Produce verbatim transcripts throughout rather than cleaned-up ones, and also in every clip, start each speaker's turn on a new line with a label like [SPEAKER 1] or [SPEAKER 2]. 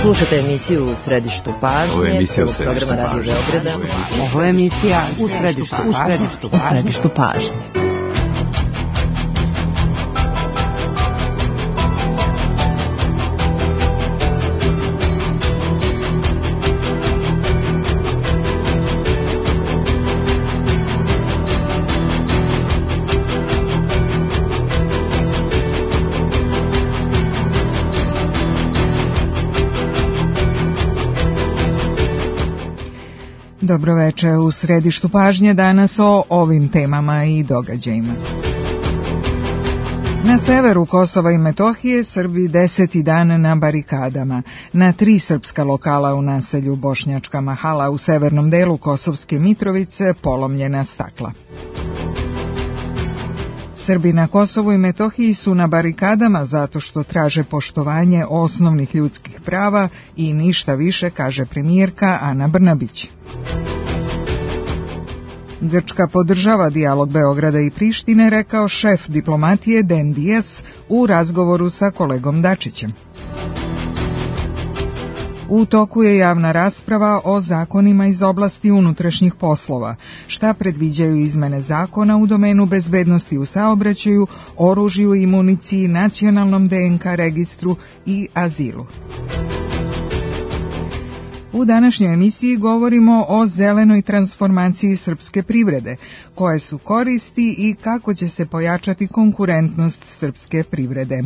[SPEAKER 1] Slušate emisiju U središtu pažnje.
[SPEAKER 2] Ovo je emisija U središtu
[SPEAKER 1] programa Radio Beograda.
[SPEAKER 3] Ovo je emisija U središtu pažnje. U središtu pažnje.
[SPEAKER 4] Dobro veče, u središtu pažnje danas o ovim temama i događajima. Na severu Kosova i Metohije Srbi deseti dan na barikadama. Na tri srpska lokala u naselju Bošnjačka Mahala u severnom delu Kosovske Mitrovice polomljena stakla. Srbi na Kosovu i Metohiji su na barikadama zato što traže poštovanje osnovnih ljudskih prava i ništa više, kaže premijerka Ana Brnabić. Grčka podržava dijalog Beograda i Prištine, rekao šef diplomatije Dejan Dias u razgovoru sa kolegom Dačićem. U toku je javna rasprava o zakonima iz oblasti unutrašnjih poslova. Šta predviđaju izmene zakona u domenu bezbednosti u saobraćaju, oružju i municiji, nacionalnom D N K registru i azilu. U današnjoj emisiji govorimo o zelenoj transformaciji srpske privrede, koje su koristi i kako će se pojačati konkurentnost srpske privrede.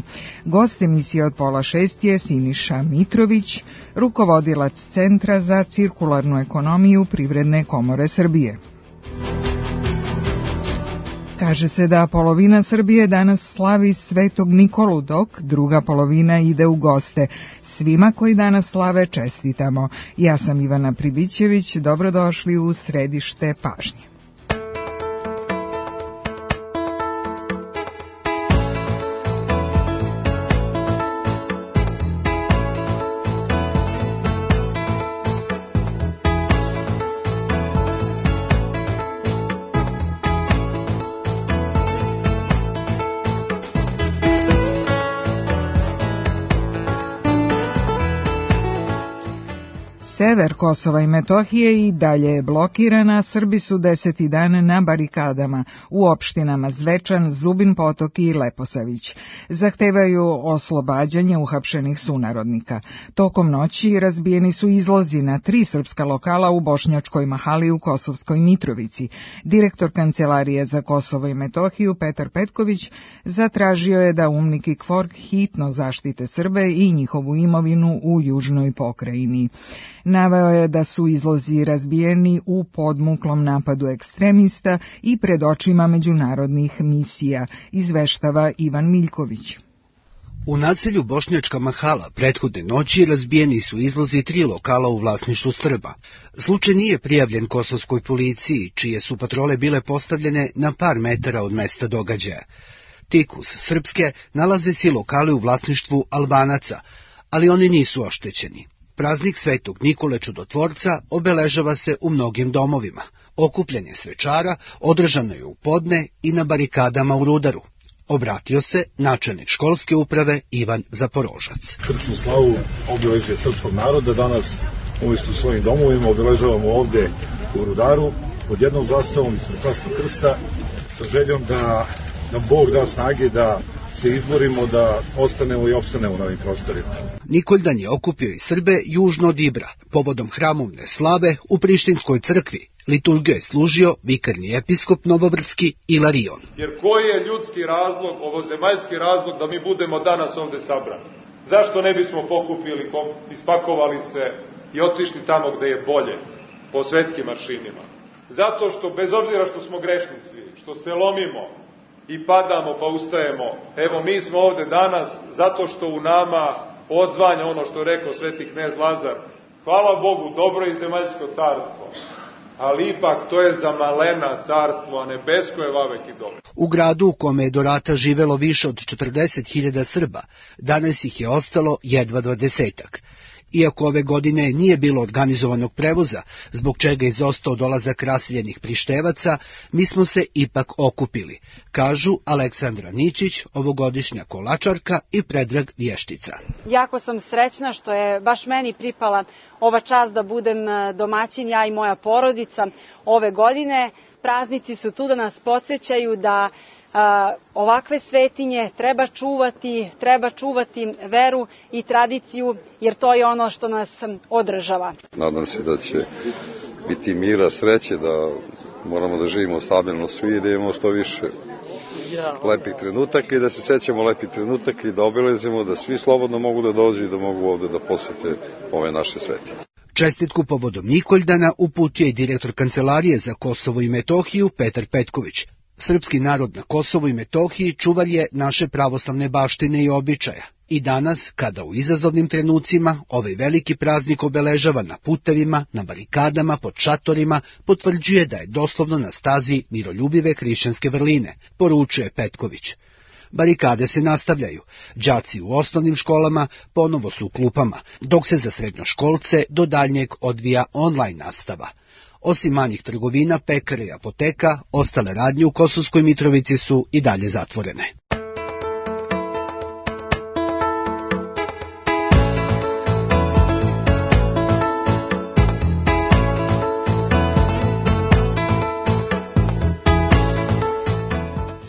[SPEAKER 4] Gost emisije od pola šest je Siniša Mitrović, rukovodilac Centra za cirkularnu ekonomiju Privredne komore Srbije. Kaže se da polovina Srbije danas slavi Svetog Nikolu, dok druga polovina ide u goste. Svima koji danas slave čestitamo. Ja sam Ivana Pribićević, dobrodošli u središte pažnje. Sever Kosova i Metohije i dalje je blokirana, Srbi su deseti dan na barikadama u opštinama Zvečan, Zubin Potok i Leposavić. Zahtevaju oslobađanje uhapšenih sunarodnika. Tokom noći razbijeni su izlozi na tri srpska lokala u Bošnjačkoj Mahali u Kosovskoj Mitrovici. Direktor Kancelarije za Kosovo i Metohiju Petar Petković zatražio je da UMNIK i KFOR hitno zaštite Srbe i njihovu imovinu u južnoj pokrajini. Naveo je da su izlozi razbijeni u podmuklom napadu ekstremista i pred očima međunarodnih misija, izveštava Ivan Miljković.
[SPEAKER 5] U naselju Bošnjačka Mahala prethodne noći razbijeni su izlozi tri lokala u vlasništvu Srba. Slučaj nije prijavljen kosovskoj policiji, čije su patrole bile postavljene na par metara od mesta događaja. Tik uz srpske nalaze se lokali u vlasništvu Albanaca, ali oni nisu oštećeni. Praznik Svetog Nikole Čudotvorca obeležava se u mnogim domovima. Okupljanje svečara održano je u podne i na barikadama u Rudaru. Obratio se načelnik školske uprave Ivan Zaporožac.
[SPEAKER 6] Krsnu slavu obeležje srpskog naroda danas umjesto u svojim domovima obeležavamo ovdje u Rudaru pod jednom zastavom ispred Krasnog krsta sa željom da nam Bog da snage da se izborimo da ostanemo i opstanemo na ovim prostorima.
[SPEAKER 5] Nikoldan je okupio i Srbe južno od Ibra. Povodom hramovne slave u Prištinskoj crkvi liturgiju je služio vikarni episkop Novobrdski Ilarion.
[SPEAKER 7] Jer koji je ljudski razlog, ovozemaljski razlog da mi budemo danas ovde sabrani? Zašto ne bismo pokupili, ispakovali se i otišli tamo gde je bolje, po svetskim aršinima? Zato što, bez obzira što smo grešnici, što se lomimo i padamo pa ustajemo, evo mi smo ovde danas zato što u nama odzvanja ono što je rekao sveti knez Lazar. Hvala Bogu, dobro i zemaljsko carstvo, ali ipak to je za malena carstvo, a nebesko je vavek i dobro.
[SPEAKER 5] U gradu u kome je do rata živelo više od četrdeset hiljada Srba, danas ih je ostalo jedva dvadesetak. Iako ove godine nije bilo organizovanog prevoza, zbog čega je izostao dolazak raseljenih Prištevaca, mi smo se ipak okupili, kažu Aleksandra Ničić, ovogodišnja kolačarka, i Predrag Vještica.
[SPEAKER 2] Jako sam srećna što je baš meni pripala ova čast da budem domaćin, ja i moja porodica ove godine. Praznici su tu da nas podsjećaju da a, ovakve svetinje treba čuvati, treba čuvati veru i tradiciju, jer to je ono što nas održava.
[SPEAKER 8] Nadam se da će biti mira, sreće, da moramo da živimo stabilno svi i da imamo što više lepih trenutaka i da se sećamo lepih trenutaka i da obilazimo, da svi slobodno mogu da dođu i da mogu ovde da posete ove naše svetinje.
[SPEAKER 5] Čestitku povodom Nikoldana uputio i direktor Kancelarije za Kosovo i Metohiju Petar Petković. Srpski narod na Kosovu i Metohiji čuvar je naše pravoslavne baštine i običaja. I danas, kada u izazovnim trenucima ovaj veliki praznik obeležava na putevima, na barikadama, pod šatorima, potvrđuje da je doslovno na stazi miroljubive hrišćanske vrline, poručuje Petković. Barikade se nastavljaju. Đaci u osnovnim školama ponovo su u klupama, dok se za srednjoškolce do daljnjeg odvija online nastava. Osim manjih trgovina, pekara i apoteka, ostale radnje u Kosovskoj Mitrovici su i dalje zatvorene.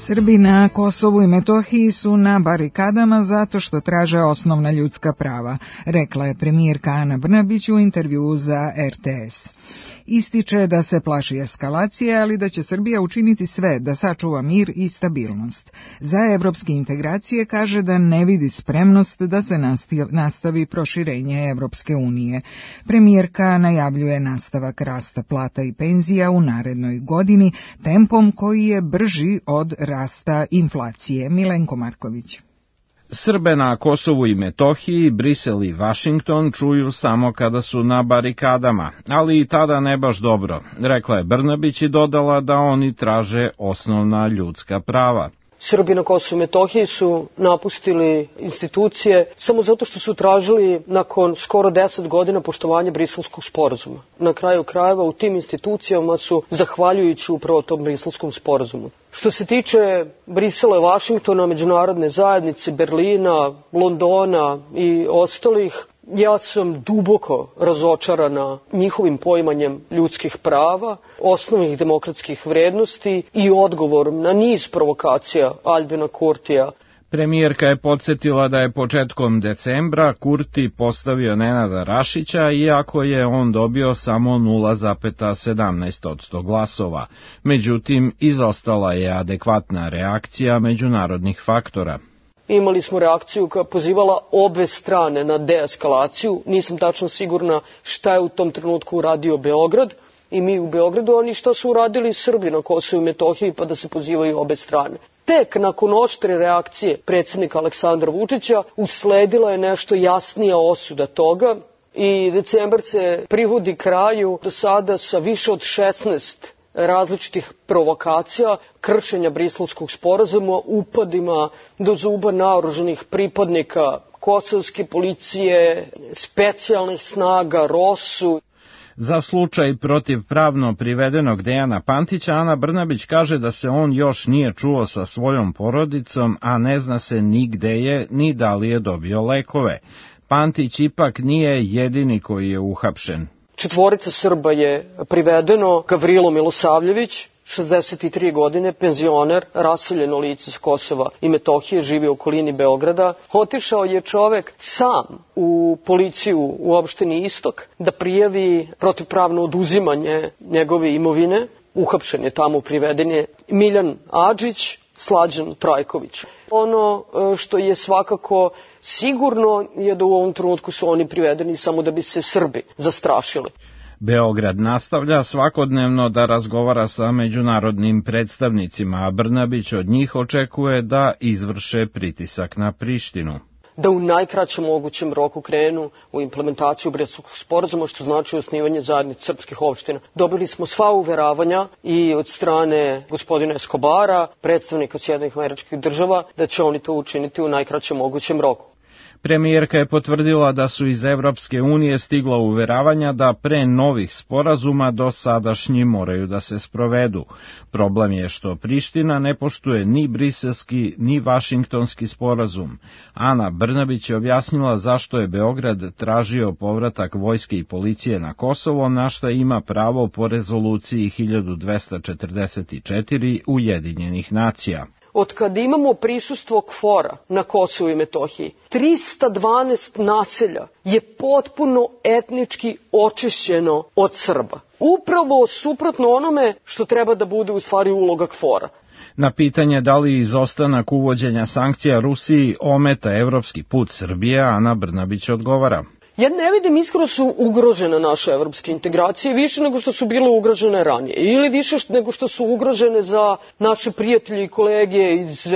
[SPEAKER 4] Srbi na Kosovu i Metohiji su na barikadama zato što traže osnovna ljudska prava, rekla je premijerka Ana Brnabić u intervjuu za er te es. Ističe da se plaši eskalacije, ali da će Srbija učiniti sve da sačuva mir i stabilnost. Za evropske integracije kaže da ne vidi spremnost da se nastavi proširenje Evropske unije. Premijerka najavljuje nastavak rasta plata i penzija u narednoj godini tempom koji je brži od rasta inflacije. Milenko Marković.
[SPEAKER 9] Srbe na Kosovu i Metohiji, Brisel i Vašington čuju samo kada su na barikadama, ali i tada ne baš dobro, rekla je Brnabić i dodala da oni traže osnovna ljudska prava.
[SPEAKER 10] Srbi na Kosovu i Metohiji su napustili institucije samo zato što su tražili nakon skoro deset godina poštovanje Briselskog sporazuma. Na kraju krajeva u tim institucijama su zahvaljujući upravo tom Briselskom sporazumu. Što se tiče Brisela i Vašingtona, međunarodne zajednice, Berlina, Londona i ostalih, ja sam duboko razočarana njihovim poimanjem ljudskih prava, osnovnih demokratskih vrednosti i odgovorom na niz provokacija Albina Kurtija.
[SPEAKER 9] Premijerka je podsjetila da je početkom decembra Kurti postavio Nenada Rašića, iako je on dobio samo nula zarez sedamnaest posto glasova. Međutim, izostala je adekvatna reakcija međunarodnih faktora.
[SPEAKER 10] Imali smo reakciju koja pozivala obe strane na deeskalaciju. Nisam tačno sigurna šta je u tom trenutku uradio Beograd i mi u Beogradu, oni šta su uradili Srbi na Kosovu i Metohiji, pa da se pozivaju obe strane. Tek nakon oštre reakcije predsjednika Aleksandra Vučića usledila je nešto jasnija osuda toga i decembar se privodi kraju do sada sa više od šesnaest različitih provokacija, kršenja Briselskog sporazuma, upadima do zuba naoružanih pripadnika kosovske policije, specijalnih snaga, rosu.
[SPEAKER 9] Za slučaj protivpravno privedenog Dejana Pantića, Ana Brnabić kaže da se on još nije čuo sa svojom porodicom, a ne zna se ni gde je, ni da li je dobio lekove. Pantić ipak nije jedini koji je uhapšen.
[SPEAKER 10] Četvorica Srba je privedeno. Gavrilo Milosavljević, šezdeset tri godine, penzioner, raseljeno lice s Kosova i Metohije, živi u okolini Beograda. Otišao je čovek sam u policiju u opštini Istok da prijavi protivpravno oduzimanje njegove imovine. Uhapšen je tamo, priveden je Miljan Adžić, Slađan Trajković. Ono što je svakako sigurno je da u ovom trenutku su oni privedeni samo da bi se Srbi zastrašili.
[SPEAKER 9] Beograd nastavlja svakodnevno da razgovara sa međunarodnim predstavnicima, a Brnabić od njih očekuje da izvrše pritisak na Prištinu.
[SPEAKER 10] Da u najkraćem mogućem roku krenu u implementaciju Briselskog sporazuma, što znači osnivanje zajednice srpskih opština. Dobili smo sva uveravanja i od strane gospodina Eskobara, predstavnika Sjedinjenih Američkih Država, da će oni to učiniti u najkraćem mogućem roku.
[SPEAKER 9] Premijerka je potvrdila da su iz Evropske unije stigla uveravanja da pre novih sporazuma dosadašnji moraju da se sprovedu. Problem je što Priština ne poštuje ni briselski ni vašingtonski sporazum. Ana Brnabić je objasnila zašto je Beograd tražio povratak vojske i policije na Kosovo, na šta ima pravo po rezoluciji hiljadu dvesta četrdeset četiri Ujedinjenih nacija.
[SPEAKER 10] Od kada imamo prisustvo KFOR-a na Kosovu i Metohiji, trista dvanaest naselja je potpuno etnički očišćeno od Srba. Upravo suprotno onome što treba da bude u stvari uloga KFOR-a.
[SPEAKER 9] Na pitanje da li izostanak uvođenja sankcija Rusiji ometa evropski put Srbije, Ana Brnabić odgovara.
[SPEAKER 10] Ja ne vidim iskreno su ugrožene naše evropske integracije više nego što su bile ugrožene ranije ili više nego što su ugrožene za naše prijatelje i kolege iz uh,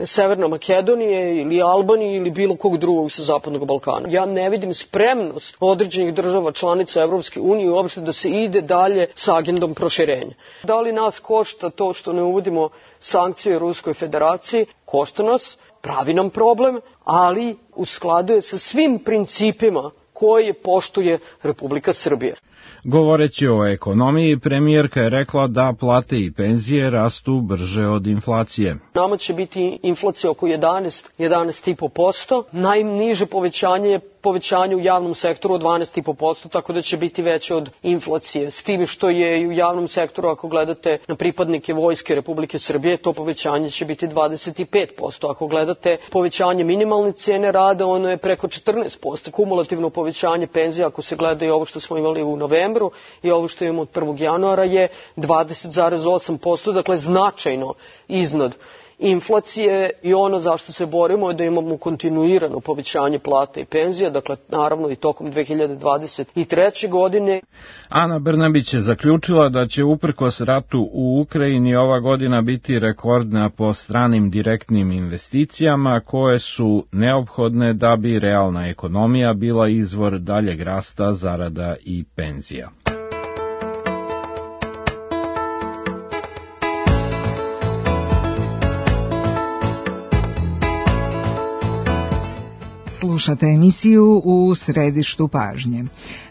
[SPEAKER 10] Severne Makedonije ili Albanije ili bilo kog drugog sa Zapadnog Balkana. Ja ne vidim spremnost određenih država članica Evropske unije uopšte da se ide dalje sa agendom proširenja. Da li nas košta to što ne uvodimo sankcije Ruskoj federaciji? Košta nas, pravi nam problem, ali u skladu je sa svim principima koje poštuje Republika Srbija.
[SPEAKER 9] Govoreći o ekonomiji, premijerka je rekla da plate i penzije rastu brže od inflacije.
[SPEAKER 10] Nama će biti inflacija oko jedanaest, jedanaest i po posto. Najniže povećanje je povećanje u javnom sektoru od dvanaest i po posto, tako da će biti veće od inflacije. S tim što je i u javnom sektoru, ako gledate na pripadnike Vojske Republike Srbije, to povećanje će biti dvadeset pet posto. Ako gledate povećanje minimalne cene rada, ono je preko četrnaest posto. Kumulativno povećanje penzija, ako se gleda i ovo što smo imali u novembru i ovo što imamo od prvog januara, je dvadeset zarez osam posto, dakle značajno iznad inflacije i ono zašto se borimo je da imamo kontinuirano povećanje plata i penzija, dakle naravno i tokom dve hiljade dvadeset treće. godine.
[SPEAKER 9] Ana Brnabić je zaključila da će uprkos ratu u Ukrajini ova godina biti rekordna po stranim direktnim investicijama koje su neophodne da bi realna ekonomija bila izvor daljeg rasta, zarada i penzija.
[SPEAKER 4] Slušate emisiju U središtu pažnje.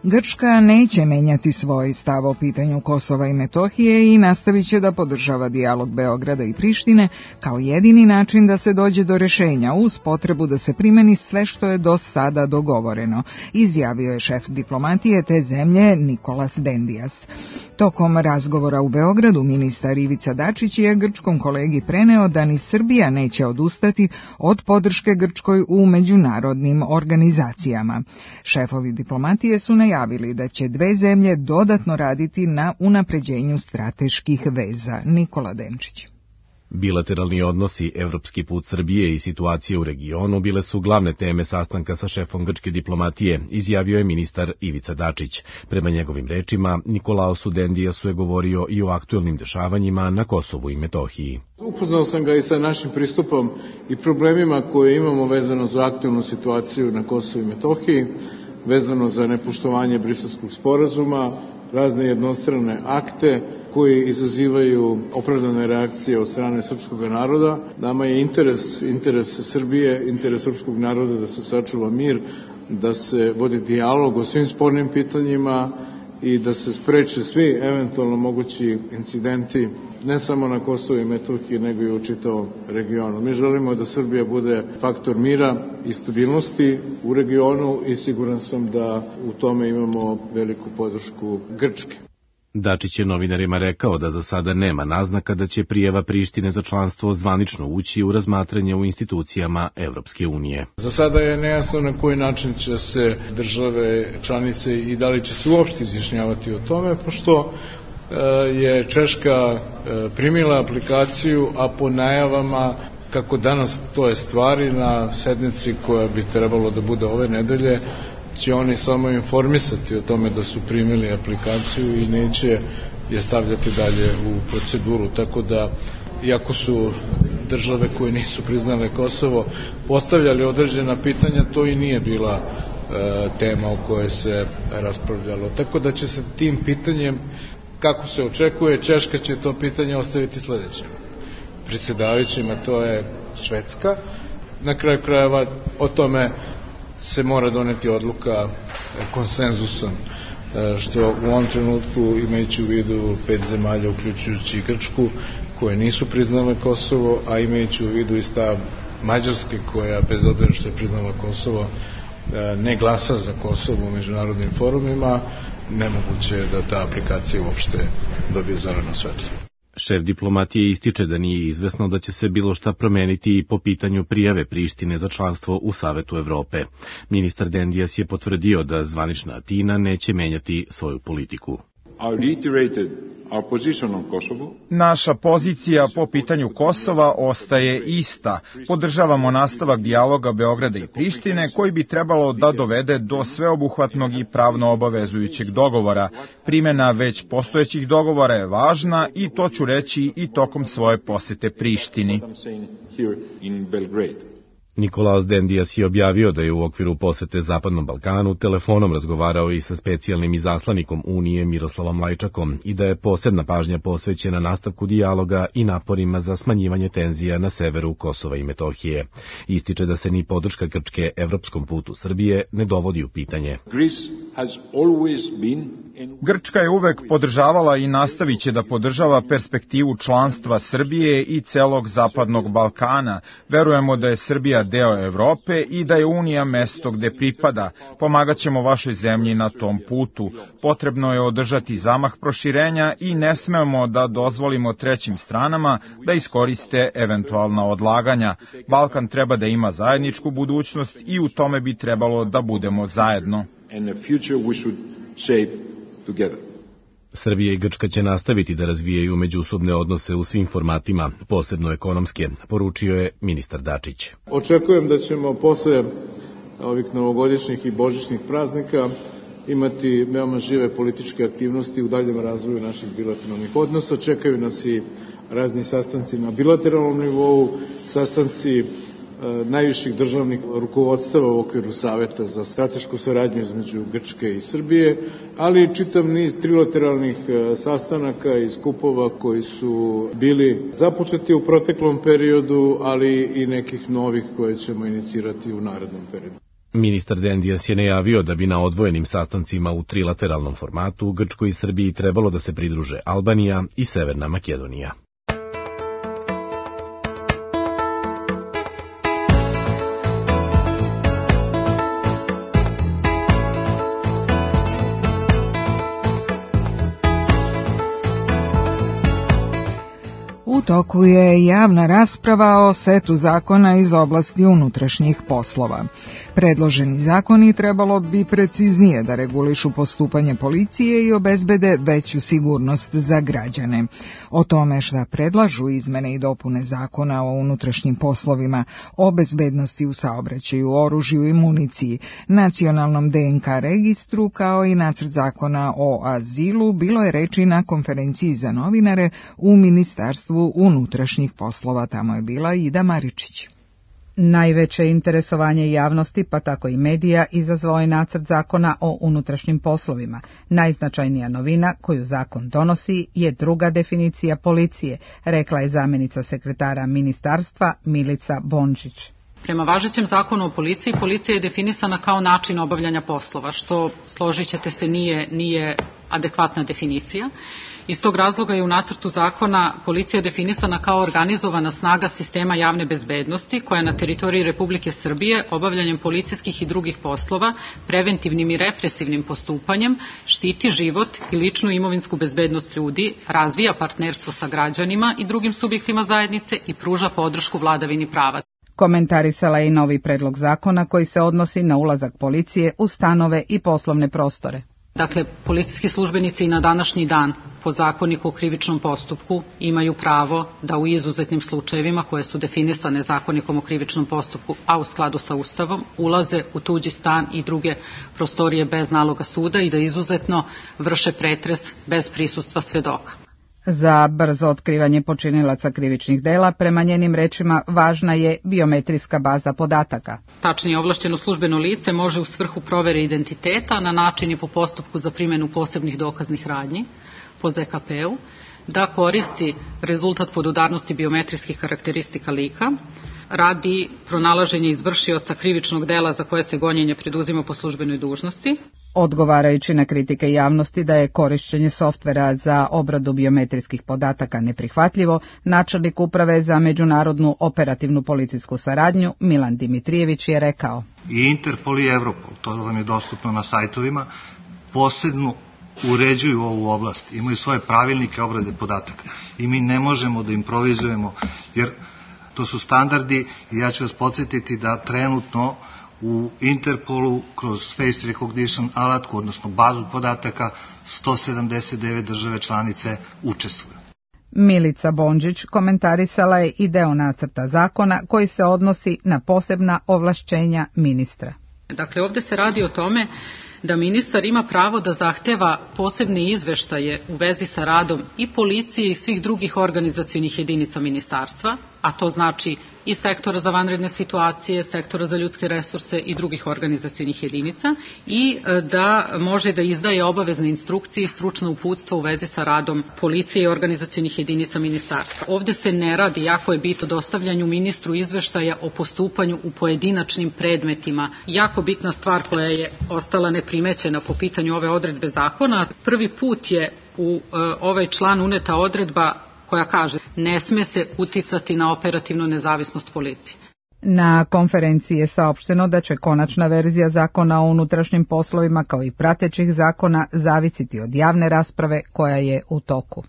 [SPEAKER 4] Grčka neće menjati svoj stav o pitanju Kosova i Metohije i nastavit će da podržava dijalog Beograda i Prištine kao jedini način da se dođe do rešenja uz potrebu da se primeni sve što je do sada dogovoreno, izjavio je šef diplomatije te zemlje Nikolas Dendias. Tokom razgovora u Beogradu ministar Ivica Dačić je grčkom kolegi preneo da ni Srbija neće odustati od podrške Grčkoj u međunarodnim organizacijama. Šefovi diplomatije su najavili da će dve zemlje dodatno raditi na unapređenju strateških veza. Nikola Denčić.
[SPEAKER 11] Bilateralni odnosi, evropski put Srbije i situacije u regionu bile su glavne teme sastanka sa šefom grčke diplomatije, izjavio je ministar Ivica Dačić. Prema njegovim rečima, Nikolaosu Dendijasu je govorio i o aktuelnim dešavanjima na Kosovu i Metohiji.
[SPEAKER 12] Upoznao sam ga i sa našim pristupom i problemima koje imamo vezano za aktuelnu situaciju na Kosovu i Metohiji, vezano za nepoštovanje Briselskog sporazuma, razne jednostrane akte koji izazivaju opravdane reakcije od strane srpskog naroda. Nama je interes, interes Srbije, interes srpskog naroda da se sačuva mir, da se vodi dijalog o svim spornim pitanjima i da se spreče svi eventualno mogući incidenti, ne samo na Kosovu i Metohiji, nego i u čitavom regionu. Mi želimo da Srbija bude faktor mira i stabilnosti u regionu i siguran sam da u tome imamo veliku podršku Grčke.
[SPEAKER 11] Dačić je novinarima rekao da za sada nema naznaka da će prijava Prištine za članstvo zvanično ući u razmatranje u institucijama Evropske unije.
[SPEAKER 12] Za sada je nejasno na koji način će se države članice i da li će se uopšte izjašnjavati o tome, pošto je Češka primila aplikaciju, a po najavama kako danas to je stvari na sednici koja bi trebalo da bude ove nedelje, će oni samo informisati o tome da su primili aplikaciju i neće je stavljati dalje u proceduru. Tako da, iako su države koje nisu priznale Kosovo postavljali određena pitanja, to i nije bila e, tema o kojoj se raspravljalo. Tako da će se tim pitanjem, kako se očekuje, Češka će to pitanje ostaviti sledeće predsjedavajućima, to je Švedska. Na kraju krajeva o tome se mora doneti odluka konsenzusom, što u ovom trenutku, imajući u vidu pet zemalja, uključujući i Grčku, koje nisu priznale Kosovo, a imajući u vidu i stav Mađarske, koja, bez obzira što je priznala Kosovo, ne glasa za Kosovo u međunarodnim forumima, nemoguće je da ta aplikacija uopšte dobije zeleno svetlo.
[SPEAKER 11] Šef diplomatije ističe da nije izvesno da će se bilo šta promeniti i po pitanju prijave Prištine za članstvo u Savetu Evrope. Ministar Dendijas je potvrdio da zvanična Atina neće menjati svoju politiku.
[SPEAKER 13] Naša pozicija po pitanju Kosova ostaje ista. Podržavamo nastavak dijaloga Beograda i Prištine, koji bi trebalo da dovede do sveobuhvatnog i pravno obavezujućeg dogovora. Primjena već postojećih dogovora je važna i to ću reći i tokom svoje posete Prištini.
[SPEAKER 11] Nikolaos Dendijas je objavio da je u okviru posete Zapadnom Balkanu telefonom razgovarao i sa specijalnim izaslanikom Unije Miroslavom Lajčakom i da je posebna pažnja posvećena nastavku dijaloga i naporima za smanjivanje tenzija na severu Kosova i Metohije. Ističe da se ni podrška Grčke evropskom putu Srbije ne dovodi u pitanje.
[SPEAKER 13] Grčka je uvek podržavala i nastavit će da podržava perspektivu članstva Srbije i celog Zapadnog Balkana. Verujemo da je Srbija deo Evrope i da je Unija mesto gde pripada. Pomagat ćemo vašoj zemlji na tom putu. Potrebno je održati zamah proširenja i ne smemo da dozvolimo trećim stranama da iskoriste eventualna odlaganja. Balkan treba da ima zajedničku budućnost i u tome bi trebalo da budemo zajedno.
[SPEAKER 11] Srbija i Grčka će nastaviti da razvijaju međusobne odnose u svim formatima, posebno ekonomske, poručio je ministar Dačić.
[SPEAKER 12] Očekujem da ćemo posle ovih novogodišnjih i božićnih praznika imati veoma žive političke aktivnosti u daljem razvoju naših bilateralnih odnosa. Čekaju nas i razni sastanci na bilateralnom nivou, sastanci najviših državnih rukovodstava u okviru Saveta za stratešku saradnju između Grčke i Srbije, ali i čitav niz trilateralnih sastanaka i skupova koji su bili započeti u proteklom periodu, ali i nekih novih koje ćemo inicirati u narednom periodu.
[SPEAKER 11] Ministar Dendijas je najavio da bi na odvojenim sastancima u trilateralnom formatu Grčkoj i Srbiji trebalo da se pridruže Albanija i Severna Makedonija.
[SPEAKER 4] U toku je javna rasprava o setu zakona iz oblasti unutrašnjih poslova. Predloženi zakoni trebalo bi preciznije da regulišu postupanje policije i obezbede veću sigurnost za građane. O tome šta predlažu izmene i dopune zakona o unutrašnjim poslovima, o bezbednosti u saobraćaju, oružju i municiji, nacionalnom D N K registru kao i nacrt zakona o azilu bilo je reči na konferenciji za novinare u Ministarstvu unutrašnjih poslova. Tamo je bila Ida Maričić.
[SPEAKER 14] Najveće interesovanje javnosti, pa tako i medija, izazvao je nacrt zakona o unutrašnjim poslovima. Najznačajnija novina koju zakon donosi je druga definicija policije, rekla je zamjenica sekretara ministarstva Milica Bončić.
[SPEAKER 15] Prema važećem zakonu o policiji, policija je definisana kao način obavljanja poslova, što, složit ćete se, nije, nije adekvatna definicija. Iz tog razloga je u nacrtu zakona policija definisana kao organizovana snaga sistema javne bezbednosti koja na teritoriji Republike Srbije obavljanjem policijskih i drugih poslova, preventivnim i represivnim postupanjem, štiti život i ličnu imovinsku bezbednost ljudi, razvija partnerstvo sa građanima i drugim subjektima zajednice i pruža podršku vladavini prava.
[SPEAKER 14] Komentarisala je i novi predlog zakona koji se odnosi na ulazak policije u stanove i poslovne prostore.
[SPEAKER 15] Dakle, policijski službenici i na današnji dan po zakoniku o krivičnom postupku imaju pravo da u izuzetnim slučajevima koje su definisane zakonikom o krivičnom postupku, a u skladu sa Ustavom, ulaze u tuđi stan i druge prostorije bez naloga suda i da izuzetno vrše pretres bez prisustva svedoka.
[SPEAKER 14] Za brzo otkrivanje počinilaca krivičnih dela, prema njenim rečima, važna je biometrijska baza podataka.
[SPEAKER 15] Tačnije, ovlašćeno službeno lice može u svrhu provere identiteta na način i po postupku za primjenu posebnih dokaznih radnji, po Z K P-u, da koristi rezultat podudarnosti biometrijskih karakteristika lika, radi pronalaženja izvršioca krivičnog dela za koje se gonjenje preduzima po službenoj dužnosti.
[SPEAKER 14] Odgovarajući na kritike javnosti da je korišćenje softvera za obradu biometrijskih podataka neprihvatljivo, načelnik Uprave za međunarodnu operativnu policijsku saradnju Milan Dimitrijević je rekao:
[SPEAKER 16] I Interpol i Europol, to vam je dostupno na sajtovima, posebno uređuju ovu oblast, imaju svoje pravilnike obrade podataka i mi ne možemo da improvizujemo, jer to su standardi i ja ću vas podsjetiti da trenutno u Interpolu kroz face recognition alatku, odnosno bazu podataka, sto sedamdeset devet države članice učestvuju.
[SPEAKER 14] Milica Bondžić komentarisala je i deo nacrta zakona koji se odnosi na posebna ovlašćenja ministra.
[SPEAKER 15] Dakle, ovde se radi o tome da ministar ima pravo da zahteva posebne izveštaje u vezi sa radom i policije i svih drugih organizacionih jedinica ministarstva, a to znači i sektora za vanredne situacije, sektora za ljudske resurse i drugih organizacionih jedinica, i da može da izdaje obavezne instrukcije i stručna uputstva u vezi sa radom policije i organizacionih jedinica ministarstva. Ovde se ne radi, jako je bitno, dostavljanju ministru izveštaja o postupanju u pojedinačnim predmetima. Jako bitna stvar koja je ostala neprimećena po pitanju ove odredbe zakona, prvi put je u ovaj član uneta odredba koja kaže ne sme se uticati na operativnu nezavisnost policije.
[SPEAKER 14] Na konferenciji je saopšteno da će konačna verzija zakona o unutrašnjim poslovima kao i pratećih zakona zavisiti od javne rasprave koja je u toku.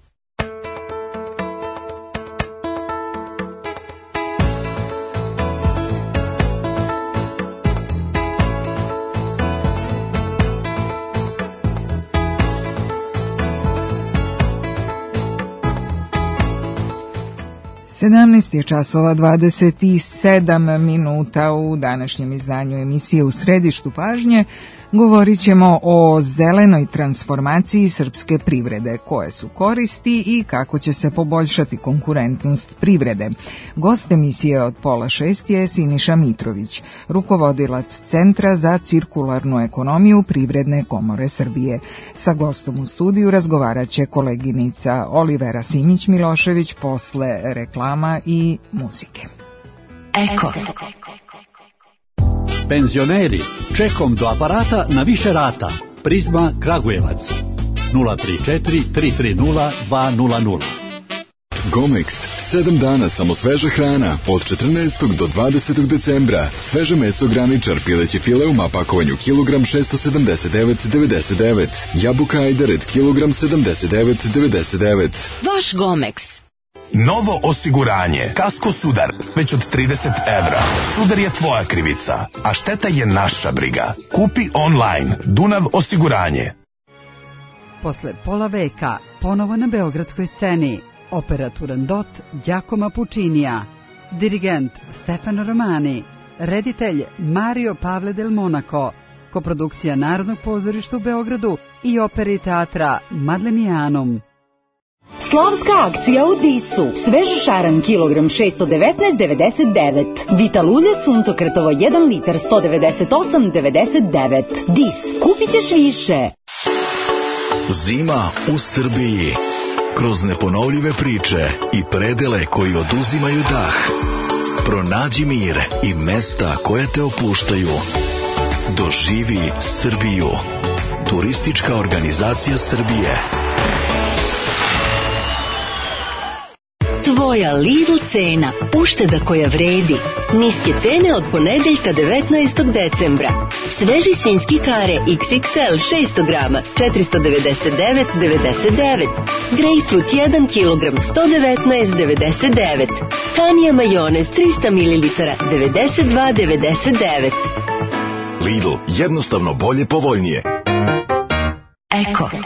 [SPEAKER 4] sedamnaest je časova dvadeset sedam minuta. U današnjem izdanju emisije U središtu pažnje govorit ćemo o zelenoj transformaciji srpske privrede, koje su koristi i kako će se poboljšati konkurentnost privrede. Gost emisije od pola šest je Siniša Mitrović, rukovodilac Centra za cirkularnu ekonomiju Privredne komore Srbije. Sa gostom u studiju razgovarat će koleginica Olivera Simić-Milošević posle reklama i muzike.
[SPEAKER 17] Eko. Penzioneri, čekom do aparata na više rata. Prizma Kragujevac. nula tri četiri tri tri nula dva nula nula.
[SPEAKER 18] Gomex, sedam dana samo sveža hrana, od četrnaestog do dvadesetog decembra. Sveže meso graničar, pileći file u mapakovanju kilogram šesto sedamdeset devet devedeset devet. Jabuka ajdaret kilogram sedamdeset devet devedeset devet.
[SPEAKER 19] Vaš Gomex.
[SPEAKER 20] Novo osiguranje. Kasko Sudar. Već od trideset evra. Sudar je tvoja krivica, a šteta je naša briga. Kupi online. Dunav osiguranje.
[SPEAKER 21] Posle pola veka, ponovo na beogradskoj sceni. Opera Turandot Giacomo Puccinija. Dirigent Stefano Romani. Reditelj Mario Pavle del Monaco. Koprodukcija Narodnog pozorišta u Beogradu i opere i teatra Madlenijanum.
[SPEAKER 22] Slavska akcija u Disu. Svež šaran kilogram šesto devetnaest devedeset devet. Vital ulje suncokretovo jedan litar sto devedeset osam devedeset devet. Dis. Kupit ćeš više.
[SPEAKER 18] Zima u Srbiji. Kroz neponovljive priče i predele koji oduzimaju dah. Pronađi mir i mesta koje te opuštaju. Doživi Srbiju. Turistička organizacija Srbije.
[SPEAKER 19] Tvoja Lidl cena, ušteda koja vredi. Niske cene od ponedeljka devetnaestog decembra. Sveži svinjski kare iks iks el šesto grama, četiristo devedeset devet devedeset devet. Grejpfrut jedan kilogram, sto devetnaest devedeset devet. Hanija majonez trista mililitara, devedeset dva devedeset devet.
[SPEAKER 18] Lidl, jednostavno bolje, povoljnije.
[SPEAKER 19] Eko.
[SPEAKER 23] For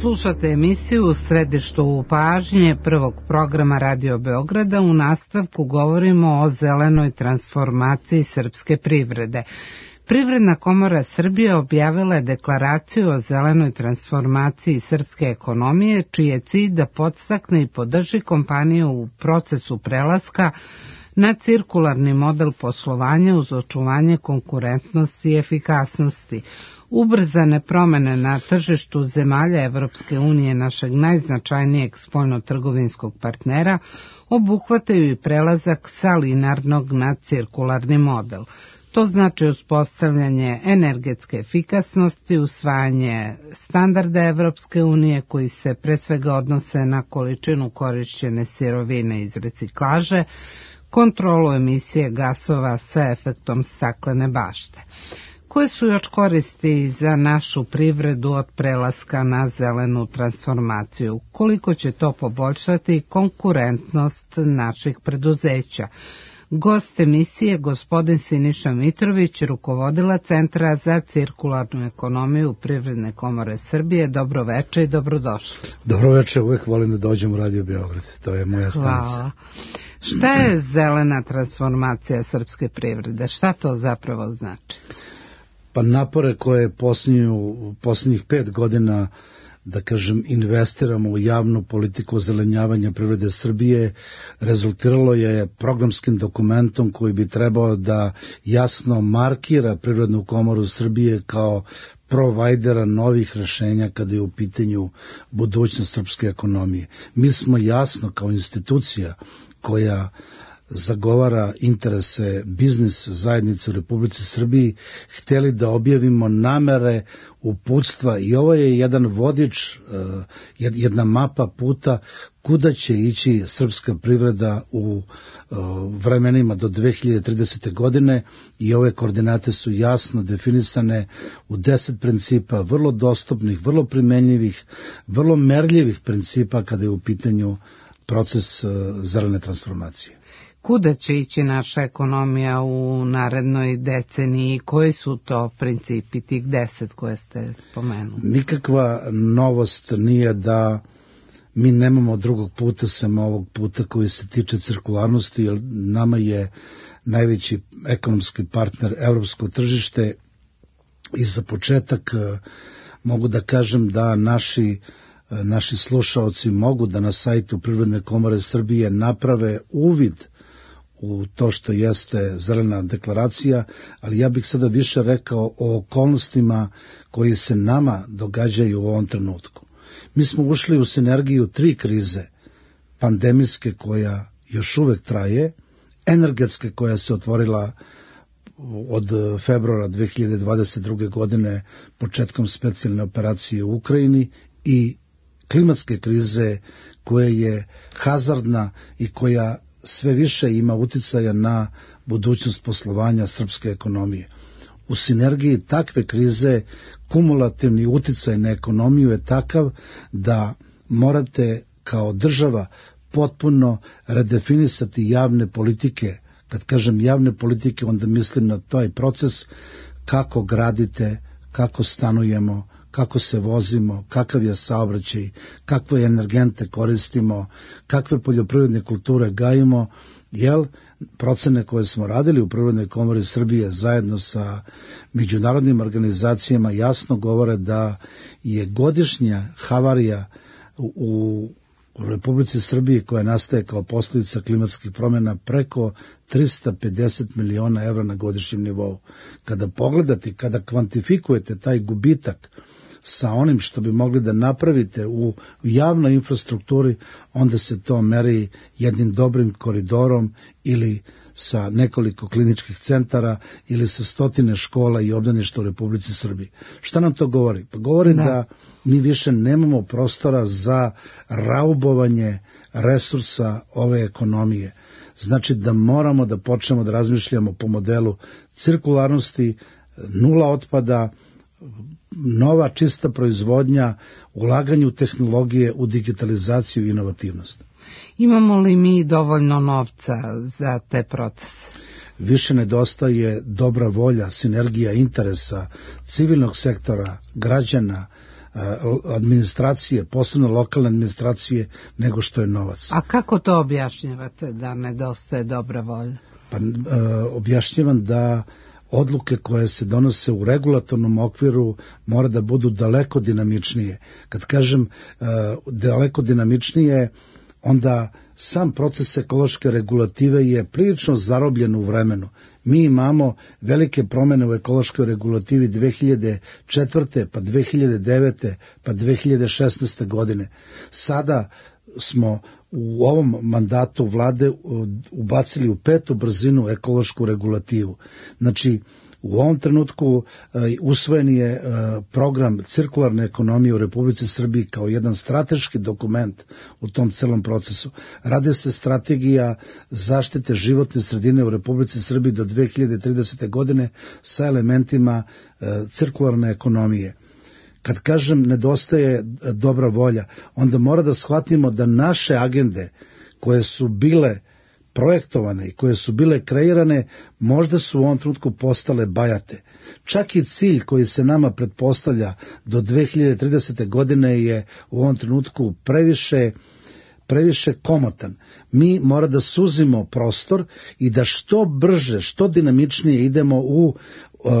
[SPEAKER 1] Slušate emisiju U središtu pažnje prvog programa Radio Beograda. U nastavku govorimo o zelenoj transformaciji srpske privrede. Privredna komora Srbije objavila je deklaraciju o zelenoj transformaciji srpske ekonomije, čiji je cilj da podstakne i podrži kompaniju u procesu prelaska na cirkularni model poslovanja uz očuvanje konkurentnosti i efikasnosti. Ubrzane promene na tržištu zemalja Evropske unije, našeg najznačajnijeg spoljno-trgovinskog partnera, obuhvataju i prelazak sa linarnog na cirkularni model. To znači uspostavljanje energetske efikasnosti, usvajanje standarda Evropske unije koji se pre svega odnose na količinu korišćene sirovine iz reciklaže, kontrolu emisije gasova sa efektom staklene bašte. Koje su još koristi za našu privredu od prelaska na zelenu transformaciju? Koliko će to poboljšati konkurentnost naših preduzeća? Gost emisije, gospodin Siniša Mitrović, rukovodila Centra za cirkularnu ekonomiju Privredne komore Srbije. Dobro veče i dobrodošli.
[SPEAKER 3] Dobro veče, uvek volim da dođem u Radio Beograd, to je moja stanica.
[SPEAKER 1] Hvala. Šta je zelena transformacija srpske privrede? Šta to zapravo znači?
[SPEAKER 3] Pa napore koje posljednju, posljednjih pet godina, da kažem, investiramo u javnu politiku ozelenjavanja privrede Srbije, rezultiralo je programskim dokumentom koji bi trebao da jasno markira Privrednu komoru Srbije kao provajdera novih rešenja kada je u pitanju budućnost srpske ekonomije. Mi smo jasno kao institucija koja zagovara interese biznis zajednice u Republici Srbiji, hteli da objavimo namere, uputstva i ovo je jedan vodič, jedna mapa puta kuda će ići srpska privreda u vremenima do dve hiljade tridesete. godine i ove koordinate su jasno definisane u deset principa, vrlo dostupnih, vrlo primenjivih, vrlo merljivih principa kada je u pitanju proces zelene transformacije.
[SPEAKER 1] Kuda će ići naša ekonomija u narednoj deceniji? Koji su to principi, tih deset koje ste spomenuli?
[SPEAKER 3] Nikakva novost nije da mi nemamo drugog puta sem ovog puta koji se tiče cirkularnosti, jer nama je najveći ekonomski partner evropsko tržište i za početak mogu da kažem da naši naši slušaoci mogu da na sajtu Privredne komore Srbije naprave uvid u to što jeste zelena deklaracija, ali ja bih sada više rekao o okolnostima koji se nama događaju u ovom trenutku. Mi smo ušli u sinergiju tri krize, pandemijske koja još uvek traje, energetske koja se otvorila od februara dve hiljade dvadeset druge. godine početkom specijalne operacije u Ukrajini i klimatske krize koja je hazardna i koja sve više ima uticaja na budućnost poslovanja srpske ekonomije. U sinergiji takve krize kumulativni uticaj na ekonomiju je takav da morate kao država potpuno redefinisati javne politike. Kad kažem javne politike, onda mislim na taj proces kako gradite, kako stanujemo, kako se vozimo, kakav je saobraćaj, kakve energente koristimo, kakve poljoprivredne kulture gajimo, jer procene koje smo radili u Privrednoj komori Srbije zajedno sa međunarodnim organizacijama jasno govore da je godišnja havarija u u Republici Srbiji koja nastaje kao posljedica klimatskih promjena preko trista pedeset miliona evra na godišnjem nivou. Kada pogledate, kada kvantifikujete taj gubitak sa onim što bi mogli da napravite u javnoj infrastrukturi, onda se to meri jednim dobrim koridorom ili sa nekoliko kliničkih centara ili sa stotine škola i obdaništa u Republici Srbiji. Šta nam to govori? Pa govori da, da mi više nemamo prostora za raubovanje resursa ove ekonomije. Znači da moramo da počnemo da razmišljamo po modelu cirkularnosti, nula otpada, nova čista proizvodnja, ulaganje u tehnologije, u digitalizaciju i inovativnost.
[SPEAKER 1] Imamo li mi dovoljno novca za te procese?
[SPEAKER 3] Više nedostaje dobra volja, sinergija interesa civilnog sektora, građana, administracije, posebno lokalne administracije, nego što je novac.
[SPEAKER 1] A kako to objašnjavate da nedostaje dobra volja?
[SPEAKER 3] Pa objašnjavam da odluke koje se donose u regulatornom okviru mora da budu daleko dinamičnije. Kad kažem daleko dinamičnije, onda sam proces ekološke regulative je prilično zarobljen u vremenu. Mi imamo velike promene u ekološkoj regulativi dve hiljade četvrte, pa dve hiljade devete, pa dve hiljade šesnaeste godine. Sada smo u ovom mandatu vlade ubacili u petu brzinu ekološku regulativu. Znači, u ovom trenutku usvojen je program cirkularne ekonomije u Republici Srbiji kao jedan strateški dokument u tom celom procesu. Rade se strategija zaštite životne sredine u Republici Srbiji do dve hiljade tridesete. godine sa elementima cirkularne ekonomije. Kad kažem nedostaje dobra volja, onda mora da shvatimo da naše agende koje su bile projektovane i koje su bile kreirane, možda su u ovom trenutku postale bajate. Čak i cilj koji se nama pretpostavlja do dve hiljade tridesete. godine je u ovom trenutku previše previše komotan. Mi mora da suzimo prostor i da što brže, što dinamičnije idemo u uh,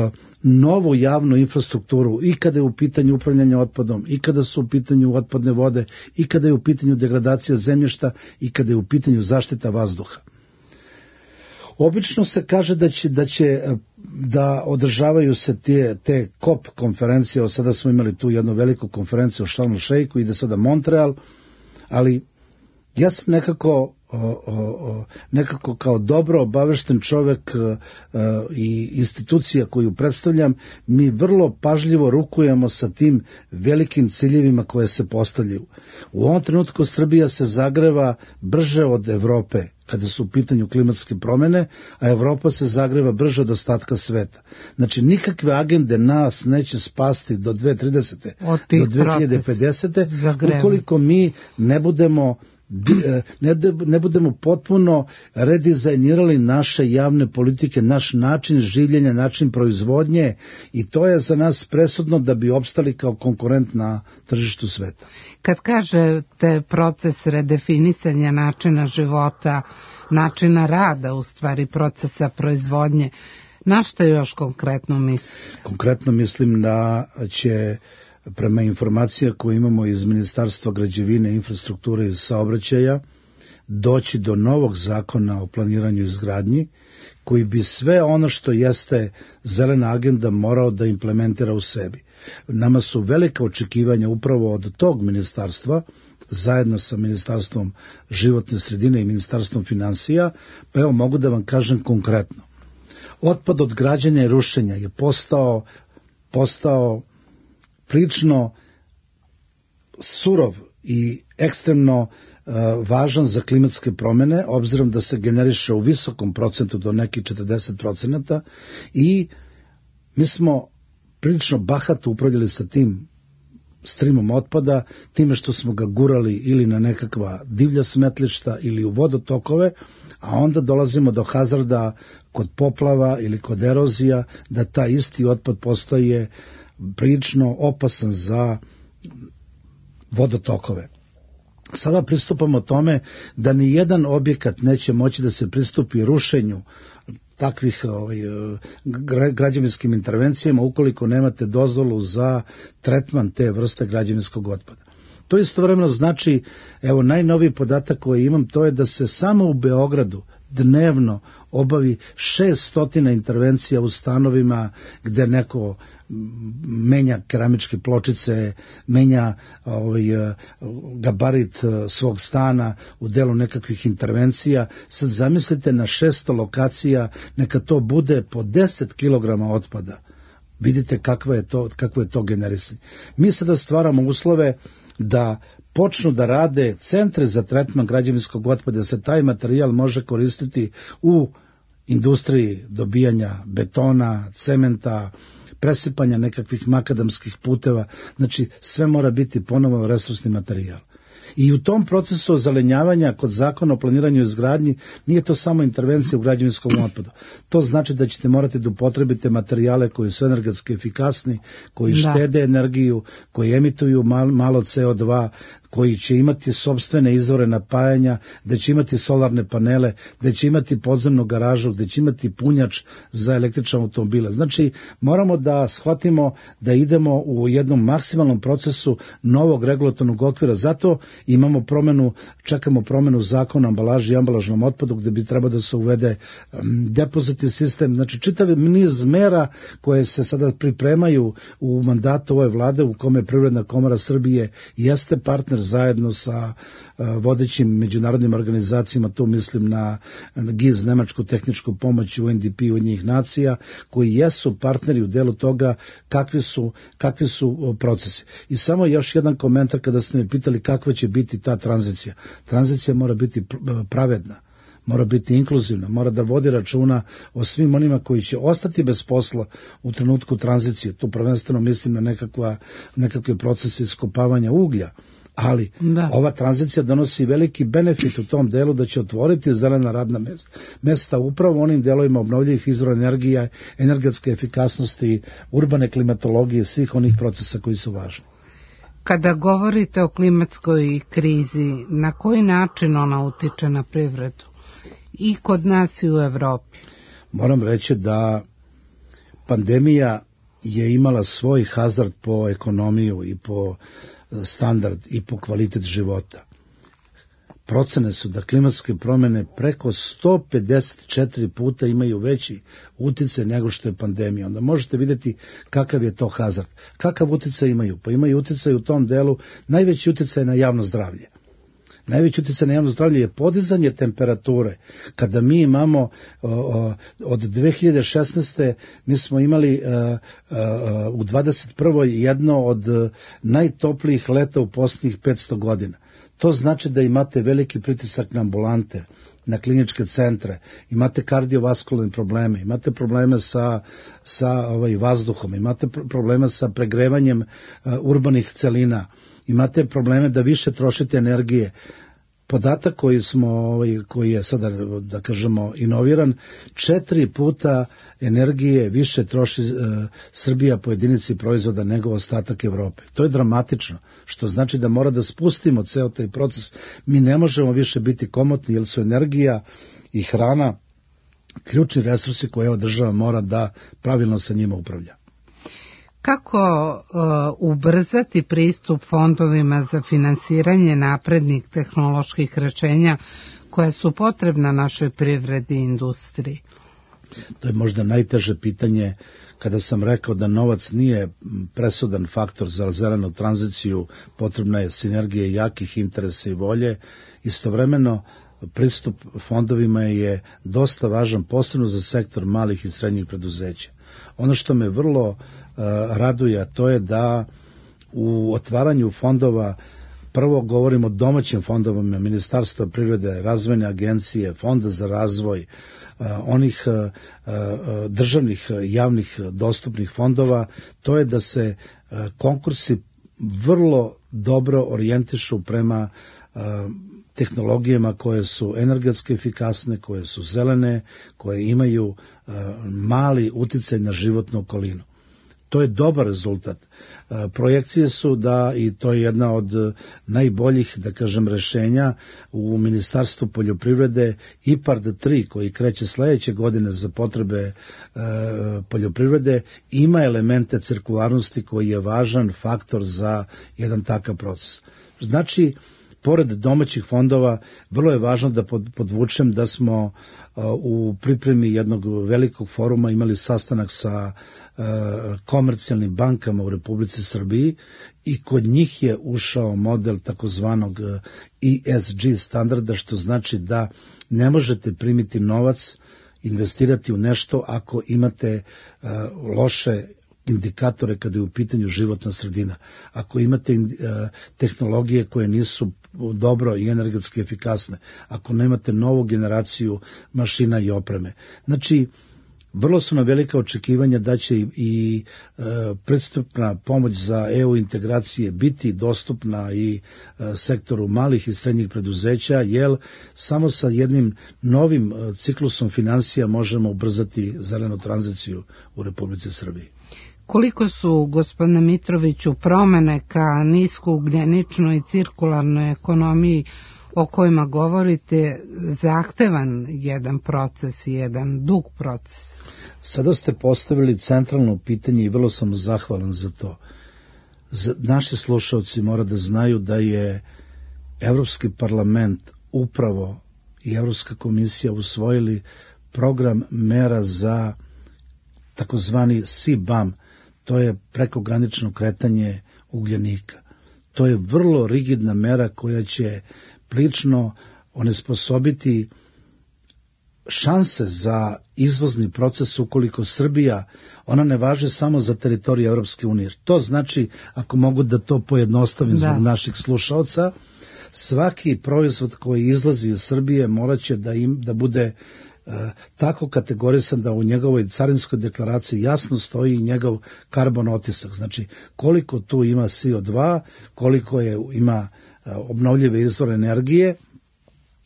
[SPEAKER 3] novu javnu infrastrukturu i kada je u pitanju upravljanje otpadom, i kada su u pitanju otpadne vode, i kada je u pitanju degradacija zemljišta, i kada je u pitanju zaštita vazduha. Obično se kaže da će da, će, da održavaju se te, te kop konferencije, od sada smo imali tu jednu veliku konferenciju u Sharm el Sheikhu, ide sada Montreal, ali ja sam nekako, o, o, o, nekako kao dobro obavešten čovek o, i institucija koju predstavljam, mi vrlo pažljivo rukujemo sa tim velikim ciljevima koje se postavljaju. U ovom trenutku Srbija se zagreva brže od Evrope kada su u pitanju klimatske promene, a Evropa se zagreva brže od ostatka sveta. Znači, nikakve agende nas neće spasti do dve hiljade tridesete. do dve hiljade pedesete. ukoliko mi ne budemo Ne, ne budemo potpuno redizajnirali naše javne politike, naš način življenja, način proizvodnje, i to je za nas presudno da bi opstali kao konkurent na tržištu sveta.
[SPEAKER 1] Kad kažete proces redefinisanja načina života, načina rada, u stvari procesa proizvodnje, na što još konkretno mislim?
[SPEAKER 3] Konkretno mislim da će, prema informacija koje imamo iz Ministarstva građevine, infrastrukture i saobraćaja, doći do novog zakona o planiranju i izgradnji, koji bi sve ono što jeste zelena agenda morao da implementira u sebi. Nama su velika očekivanja upravo od tog ministarstva, zajedno sa Ministarstvom životne sredine i Ministarstvom finansija, pa evo mogu da vam kažem konkretno. Otpad od građenja i rušenja je postao, postao prilično surov i ekstremno uh, važan za klimatske promene, obzirom da se generiše u visokom procentu do nekih četrdeset procenata, i mi smo prilično bahato upravljali sa tim strimom otpada, time što smo ga gurali ili na nekakva divlja smetlišta ili u vodotokove, a onda dolazimo do hazarda kod poplava ili kod erozija, da ta isti otpad postaje prilično opasan za vodotokove. Sada pristupamo tome da ni jedan objekat neće moći da se pristupi rušenju takvih ovaj, građevinskim intervencijama ukoliko nemate dozvolu za tretman te vrste građevinskog otpada. To istovremeno znači, evo najnoviji podatak koji imam, to je da se samo u Beogradu dnevno obavi šesnaest intervencija u stanovima gde neko menja keramičke pločice, menja ovaj, gabarit svog stana u delu nekakvih intervencija. Sad zamislite na šesto lokacija, neka to bude po deset kilograma otpada. Vidite kakvo je to, kakvo je to generisanje. Mi sada stvaramo uslove da počnu da rade centre za tretman građevinskog otpada, da se taj materijal može koristiti u industriji dobijanja betona, cementa, presipanja nekakvih makadamskih puteva. Znači, sve mora biti ponovo resursni materijal. I u tom procesu ozelenjavanja kod zakona o planiranju i izgradnji nije to samo intervencija u građevinskom otpadu. To znači da ćete morati da upotrebite materijale koji su energetski efikasni, koji da. štede energiju, koji emituju malo C O dva, koji će imati sopstvene izvore napajanja, da će imati solarne panele, da će imati podzemnu garažu, da će imati punjač za električne automobile. Znači, moramo da shvatimo da idemo u jednom maksimalnom procesu novog regulatornog okvira. Zato imamo promenu, čekamo promenu zakona o ambalaži i ambalažnom otpadu, gde bi trebao da se uvede depozitni sistem. Znači, čitav niz mera koje se sada pripremaju u mandatu ove vlade, u kome Privredna komora Srbije jeste partner zajedno sa vodećim međunarodnim organizacijama, tu mislim na G I Z, Nemačku tehničku pomoć, U N D P, Ujedinjenih nacija, koji jesu partneri u delu toga kakvi su, kakvi su procesi. I samo još jedan komentar kada ste me pitali kakva će biti ta tranzicija. Tranzicija mora biti pravedna, mora biti inkluzivna, mora da vodi računa o svim onima koji će ostati bez posla u trenutku tranzicije. Tu prvenstveno mislim na nekakva, nekakve procese iskopavanja uglja. Ali da. ova tranzicija donosi veliki benefit u tom delu da će otvoriti zelena radna mesta, mesta upravo u onim delovima obnovljivih izvora energije, energetske efikasnosti, urbane klimatologije, svih onih procesa koji su važni.
[SPEAKER 1] Kada govorite o klimatskoj krizi, na koji način ona utiče na privredu? I kod nas i u Evropi?
[SPEAKER 3] Moram reći da pandemija je imala svoj hazard po ekonomiju i po standard i po kvalitet života. Procene su da klimatske promjene preko sto pedeset četiri puta imaju veći uticaj nego što je pandemija. Onda možete vidjeti kakav je to hazard. Kakav uticaj imaju? Pa imaju uticaj u tom delu, najveći uticaj na javno zdravlje. Najveći utjecaj na javno zdravlje je podizanje temperature. Kada mi imamo o, o, od dve hiljade šesnaeste mi smo imali o, o, u dvadeset prvoj jedno od najtoplijih leta u posljednjih petsto godina. To znači da imate veliki pritisak na ambulante, na kliničke centre, imate kardiovaskularne probleme, imate probleme sa, sa ovaj, vazduhom, imate probleme sa pregrevanjem uh, urbanih celina, imate probleme da više trošite energije. Podatak koji smo, ovaj, koji je sada, da kažemo, inoviran, četiri puta energije više troši e, Srbija po jedinici proizvoda nego ostatak Evrope. To je dramatično, što znači da mora da spustimo ceo taj proces. Mi ne možemo više biti komotni, jer su energija i hrana ključni resursi koje ova država mora da pravilno sa njima upravlja.
[SPEAKER 1] Kako uh, ubrzati pristup fondovima za finansiranje naprednih tehnoloških rešenja koja su potrebna našoj privredi i industriji?
[SPEAKER 3] To je možda najteže pitanje. Kada sam rekao da novac nije presudan faktor za zelenu tranziciju, potrebna je sinergija jakih interesa i volje. Istovremeno, pristup fondovima je dosta važan, posebno za sektor malih i srednjih preduzeća. Ono što me vrlo uh, raduje, to je da u otvaranju fondova, prvo govorimo o domaćim fondovima, Ministarstva privrede, razvojne agencije, Fonda za razvoj, uh, onih uh, uh, državnih javnih dostupnih fondova, to je da se uh, konkursi vrlo dobro orijentišu prema uh, tehnologijama koje su energetski efikasne, koje su zelene, koje imaju uh, mali uticaj na životnu okolinu. To je dobar rezultat. Uh, projekcije su da, i to je jedna od najboljih, da kažem, rešenja u Ministarstvu poljoprivrede, I P A R D tri, koji kreće sledeće godine za potrebe uh, poljoprivrede, ima elemente cirkularnosti koji je važan faktor za jedan takav proces. Znači, pored domaćih fondova, vrlo je važno da podvučem da smo uh, u pripremi jednog velikog foruma imali sastanak sa uh, komercijalnim bankama u Republici Srbiji i kod njih je ušao model takozvanog E S G standarda, što znači da ne možete primiti novac, investirati u nešto ako imate uh, loše indikatore kada je u pitanju životna sredina. Ako imate uh, tehnologije koje nisu dobro i energetski efikasne, ako nemate novu generaciju mašina i opreme. Znači, Vrlo su na velika očekivanja da će i, i e, pristupna pomoć za E U integracije biti dostupna i e, sektoru malih i srednjih preduzeća, jer samo sa jednim novim e, ciklusom finansija možemo ubrzati zelenu tranziciju u Republici Srbiji.
[SPEAKER 1] Koliko su, gospodine Mitroviću, promene ka niskougljeničnoj i cirkularnoj ekonomiji o kojima govorite zahtevan jedan proces i jedan dug proces?
[SPEAKER 3] Sada ste postavili centralno pitanje i vrlo sam zahvalan za to. Naši slušalci mora da znaju da je Evropski parlament upravo i Evropska komisija usvojili program mera za takozvani C B A M, to je prekogranično kretanje ugljenika. To je vrlo rigidna mera koja će prilično onesposobiti šanse za izvozni proces ukoliko Srbija, ona ne važe samo za teritoriju Evropske unije. To znači, ako mogu da to pojednostavim zbog da. naših slušalca, svaki proizvod koji izlazi iz Srbije morat će da, im, da bude uh, tako kategorisan da u njegovoj carinskoj deklaraciji jasno stoji njegov karbon otisak. Znači, koliko tu ima C O dva, koliko je, ima uh, obnovljive izvore energije,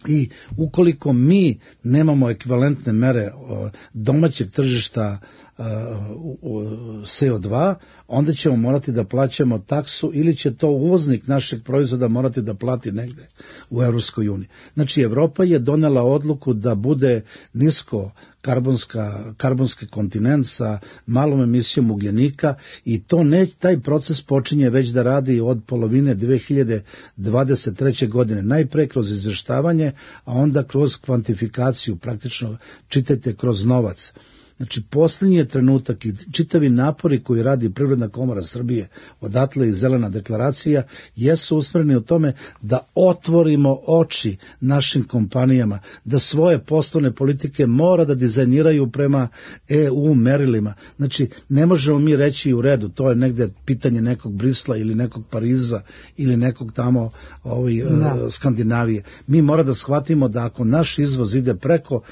[SPEAKER 3] i ukoliko mi nemamo ekvivalentne mere domaćeg tržišta C O dva, onda ćemo morati da plaćamo taksu ili će to uvoznik našeg proizvoda morati da plati negde u Evropskoj uniji. Znači, Evropa je donela odluku da bude nisko karbonska, karbonski kontinent sa malom emisijom ugljenika i to ne, taj proces počinje već da radi od polovine dve hiljade dvadeset treće. godine. Najpre kroz izveštavanje, a onda kroz kvantifikaciju, praktično čitajte kroz novac. Znači, posljednji je trenutak i čitavi napori koji radi Privredna komora Srbije, odatle i zelena deklaracija, jesu usmjereni u tome da otvorimo oči našim kompanijama, da svoje poslovne politike mora da dizajniraju prema E U merilima. Znači, ne možemo mi reći u redu, to je negde pitanje nekog Brisla ili nekog Pariza ili nekog tamo ovaj, da. Skandinavije. Mi mora da shvatimo da ako naš izvoz ide preko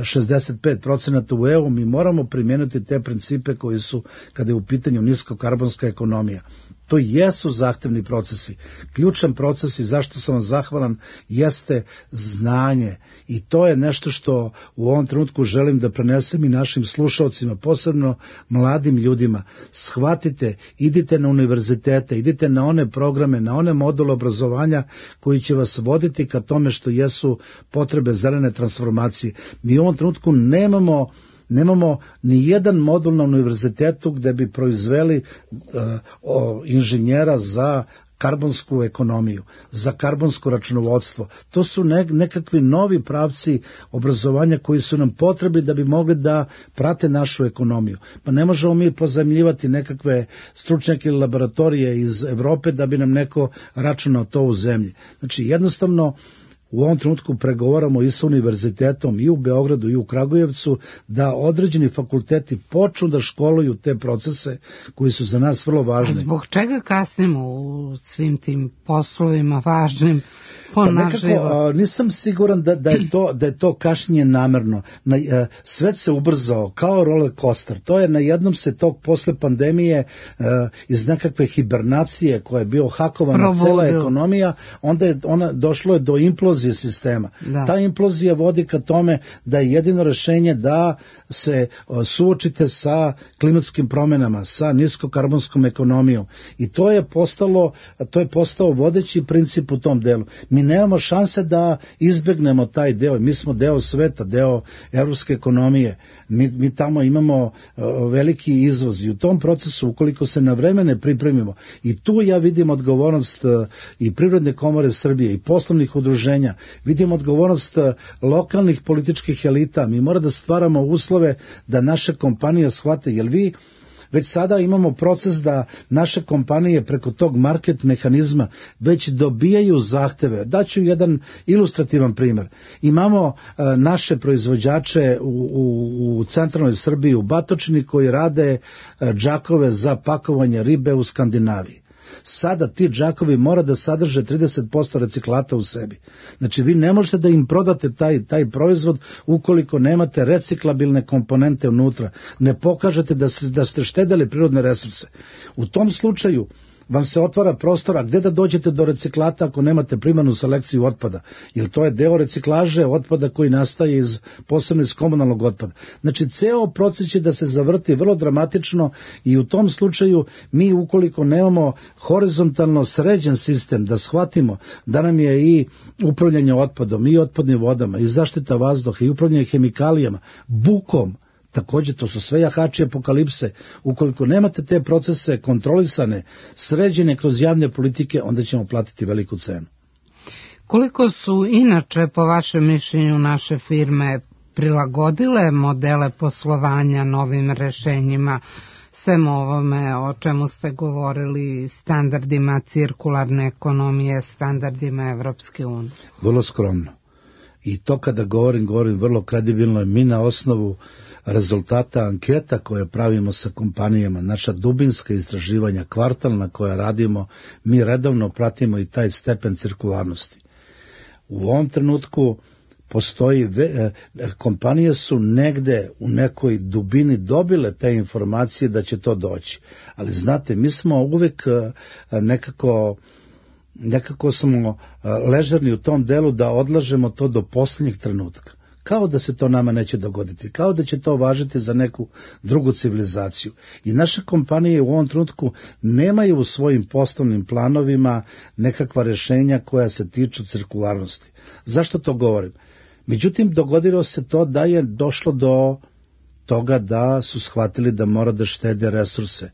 [SPEAKER 3] šezdeset pet procenata u E U, mi moramo primijeniti te principe koji su, kada je u pitanju niskokarbonska ekonomija. To jesu zahtevni procesi. Ključan proces i zašto sam vam zahvalan jeste znanje. I to je nešto što u ovom trenutku želim da prenesem i našim slušalcima, posebno mladim ljudima. Shvatite, idite na univerzitete, idite na one programe, na one module obrazovanja koji će vas voditi ka tome što jesu potrebe zelene transformacije. Mi u ovom trenutku nemamo Nemamo ni jedan modul na univerzitetu gde bi proizveli uh, o, inženjera za karbonsku ekonomiju, za karbonsko računovodstvo. To su ne, nekakvi novi pravci obrazovanja koji su nam potrebi da bi mogli da prate našu ekonomiju. Pa ne možemo mi pozajmljivati nekakve stručnjake ili laboratorije iz Evrope da bi nam neko računao to u zemlji. Znači, jednostavno, u ovom trenutku pregovaramo i sa univerzitetom i u Beogradu i u Kragujevcu da određeni fakulteti počnu da školuju te procese koji su za nas vrlo važni.
[SPEAKER 1] A zbog čega kasnimo u svim tim poslovima važnim?
[SPEAKER 3] Pa nekako, a, nisam siguran da, da, je to, da je to kašnjenje namerno. Na, a, svet se ubrzao kao roller coaster. To je na jednom se tog posle pandemije a, iz nekakve hibernacije koja je bio hakovana cela ekonomija, onda je ona došlo je do implozije sistema. Da. Ta implozija vodi ka tome da je jedino rešenje da se a, suočite sa klimatskim promenama, sa niskokarbonskom ekonomijom. I to je postalo, to je postao vodeći princip u tom delu. Mi nemamo šanse da izbegnemo taj deo. Mi smo deo sveta, deo evropske ekonomije. Mi, mi tamo imamo uh, veliki izvoz i u tom procesu, ukoliko se na vreme ne pripremimo, i tu ja vidim odgovornost uh, i Privredne komore Srbije i poslovnih udruženja, vidim odgovornost uh, lokalnih političkih elita. Mi moramo da stvaramo uslove da naše kompanije shvate, jer vi već sada imamo proces da naše kompanije preko tog market mehanizma već dobijaju zahteve. Daću jedan ilustrativan primjer. Imamo uh, naše proizvođače u, u, u centralnoj Srbiji, u Batočini, koji rade uh, džakove za pakovanje ribe u Skandinaviji. Sada ti džakovi mora da sadrže trideset posto reciklata u sebi. Znači vi ne možete da im prodate taj, taj proizvod ukoliko nemate reciklabilne komponente unutra, ne pokažete da, se, da ste štedeli prirodne resurse. U tom slučaju vam se otvara prostora gde da dođete do reciklata ako nemate primarnu selekciju otpada, jer to je deo reciklaže otpada koji nastaje iz, posebno iz komunalnog otpada. Znači, ceo proces će da se zavrti vrlo dramatično i u tom slučaju mi ukoliko nemamo horizontalno sređen sistem da shvatimo da nam je i upravljanje otpadom, i otpadnim vodama, i zaštita vazduha, i upravljanje hemikalijama, bukom, također, to su sve jahači apokalipse. Ukoliko nemate te procese kontrolisane, sređene kroz javne politike, onda ćemo platiti veliku cenu.
[SPEAKER 1] Koliko su inače, po vašem mišljenju, naše firme prilagodile modele poslovanja novim rešenjima, sem ovome o čemu ste govorili, standardima cirkularne ekonomije, standardima Evropske unije?
[SPEAKER 3] Vrlo skromno. I to kada govorim, govorim vrlo kredibilno. Mi na osnovu rezultata anketa koje pravimo sa kompanijama, naša dubinska istraživanja, kvartalna koja radimo, mi redovno pratimo i taj stepen cirkularnosti. U ovom trenutku postoji, kompanije su negde u nekoj dubini dobile te informacije da će to doći. Ali znate, mi smo uvek nekako... nekako smo ležerni u tom delu da odlažemo to do posljednjeg trenutka. Kao da se to nama neće dogoditi, kao da će to važiti za neku drugu civilizaciju. I naše kompanije u ovom trenutku nemaju u svojim poslovnim planovima nekakva rešenja koja se tiču cirkularnosti. Zašto to govorim? Međutim, dogodilo se to da je došlo do toga da su shvatili da mora da štede resurse,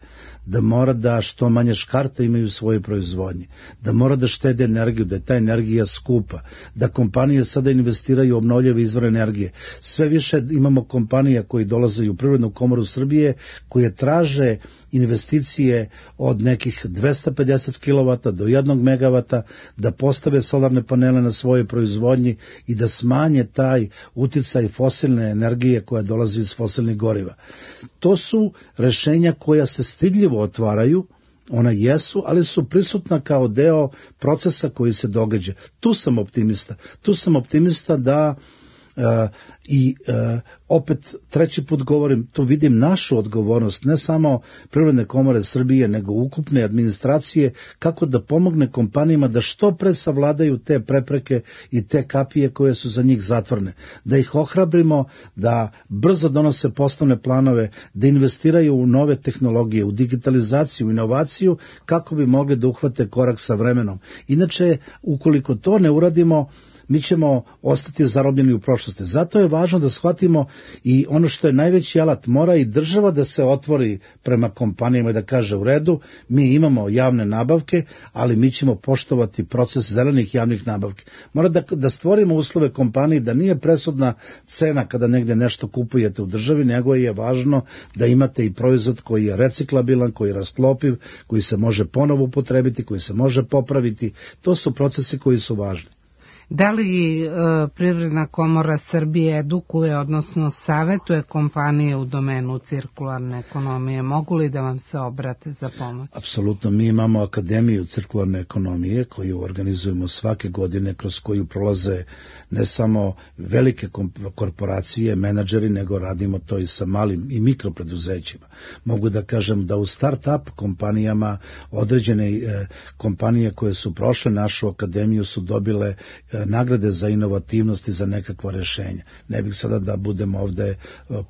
[SPEAKER 3] da mora da što manje škarta imaju u svojoj proizvodnji, da mora da štede energiju, da je ta energija skupa, da kompanije sada investiraju u obnovljive izvore energije. Sve više imamo kompanija koji dolaze u Privrednu komoru Srbije, koje traže investicije od nekih dvesta pedeset kilovata do jednog megavata, da postave solarne panele na svojoj proizvodnji i da smanje taj uticaj fosilne energije koja dolazi iz fosilnih goriva. To su rešenja koja se stidljivo otvaraju, ona jesu, ali su prisutna kao deo procesa koji se događa. Tu sam optimista. Tu sam optimista da Uh, i uh, opet treći put govorim, tu vidim našu odgovornost, ne samo Privredne komore Srbije, nego ukupne administracije, kako da pomogne kompanijama da što pre savladaju te prepreke i te kapije koje su za njih zatvorene. Da ih ohrabrimo, da brzo donose poslovne planove, da investiraju u nove tehnologije, u digitalizaciju, u inovaciju, kako bi mogli da uhvate korak sa vremenom. Inače, ukoliko to ne uradimo, mi ćemo ostati zarobljeni u prošlosti. Zato je važno da shvatimo i ono što je najveći alat, mora i država da se otvori prema kompanijama i da kaže u redu, mi imamo javne nabavke, ali mi ćemo poštovati proces zelenih javnih nabavke. Mora da, da stvorimo uslove kompaniji da nije presudna cena kada negde nešto kupujete u državi, nego je važno da imate i proizvod koji je reciklabilan, koji je rastlopiv, koji se može ponovo upotrebiti, koji se može popraviti. To su procesi koji su važni.
[SPEAKER 1] Da li e, Privredna komora Srbije edukuje, odnosno savetuje kompanije u domenu cirkularne ekonomije? Mogu li da vam se obrate za pomoć?
[SPEAKER 3] Apsolutno, mi imamo Akademiju cirkularne ekonomije koju organizujemo svake godine, kroz koju prolaze ne samo velike korporacije, menadžeri, nego radimo to i sa malim i mikropreduzećima. Mogu da kažem da u start-up kompanijama određene e, kompanije koje su prošle našu akademiju su dobile e, nagrade za inovativnost i za nekakva rešenja. Ne bih sada da budem ovde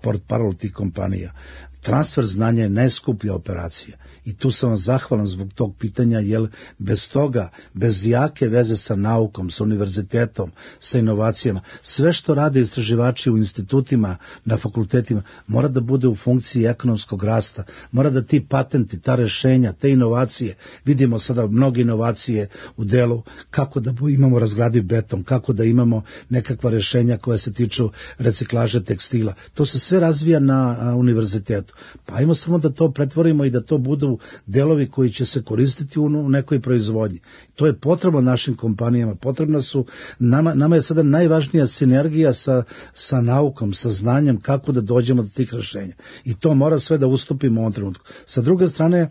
[SPEAKER 3] portparol tih kompanija. Transfer znanja je najskuplja operacija i tu sam vam zahvalan zbog tog pitanja, jer bez toga, bez jake veze sa naukom, sa univerzitetom, sa inovacijama, sve što rade istraživači u institutima, na fakultetima, mora da bude u funkciji ekonomskog rasta, mora da ti patenti, ta rešenja, te inovacije, vidimo sada mnoge inovacije u delu kako da imamo razgradiv beton, kako da imamo nekakva rešenja koja se tiču reciklaže tekstila. To se sve razvija na univerzitetu. Pa ajmo samo da to pretvorimo i da to budu delovi koji će se koristiti u nekoj proizvodnji. To je potrebno našim kompanijama, potrebno su, nama, nama je sada najvažnija sinergija sa, sa naukom, sa znanjem kako da dođemo do tih rešenja. I to mora sve da ustupimo u ovom trenutku. Sa druge strane,